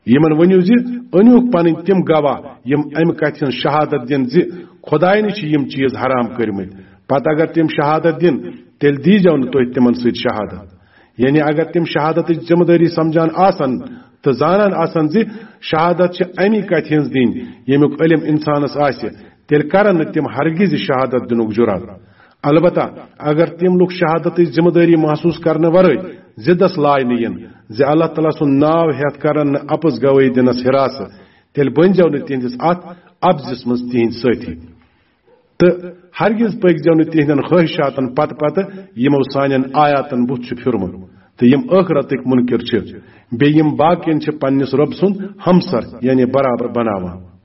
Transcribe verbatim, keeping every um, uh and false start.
یِمن ؤنِو زِ أنِوکھ پنٕنۍ تِم گواہ، یِم امہِ کتھِ ہٕنٛز شہادت دِن زِ خۄداے نِش چھِ یِم چیٖز حرام کٔرمٕتۍ۔ پتہٕ اگر تِم شہادت دِن، تیٚلہِ دیٖزیو نہٕ تُہۍ تِمن سۭتۍ شہادت۔ یعنی اگر تِم شہادتٕچ ذمہٕ دٲری سمجھان آسن تہٕ زانان آسن زِ شہادت چھِ امی کتھِ ہٕنٛز دِنۍ، ییٚمیُک علم انسانس آسہِ، تیٚلہِ کرن نہٕ تِم ہرگز یہِ شہادت دِنُک جُرات۔ البتہ اگر تِم لُکھ شہادتٕچ ذمہٕ دٲری محسوس کرنہٕ ورٲے ضدس لاینہٕ یِن زِ اللہ تعالیٰ سُنٛد ناو ہٮ۪تھ کرن نہٕ اپُز گوٲہی دِنس ہراس، تیٚلہِ بٔنۍزیو نہٕ تِہنٛدِس اتھ اپزِس منٛز تِہنٛدۍ سٲتھی۔ تہٕ ہرگز پٔکۍزیو نہٕ تِہنٛدٮ۪ن خٲہشاتن پتہٕ پتہٕ، یِمو سانٮ۪ن آیاتن بُتھ چھُ پھیُرمُت، تہٕ یِم ٲخرتٕکۍ مُنکِر چھِ، بیٚیہِ یِم باقین چھِ پننِس رۄب سُنٛد ہمسر، یعنی برابر بناوان۔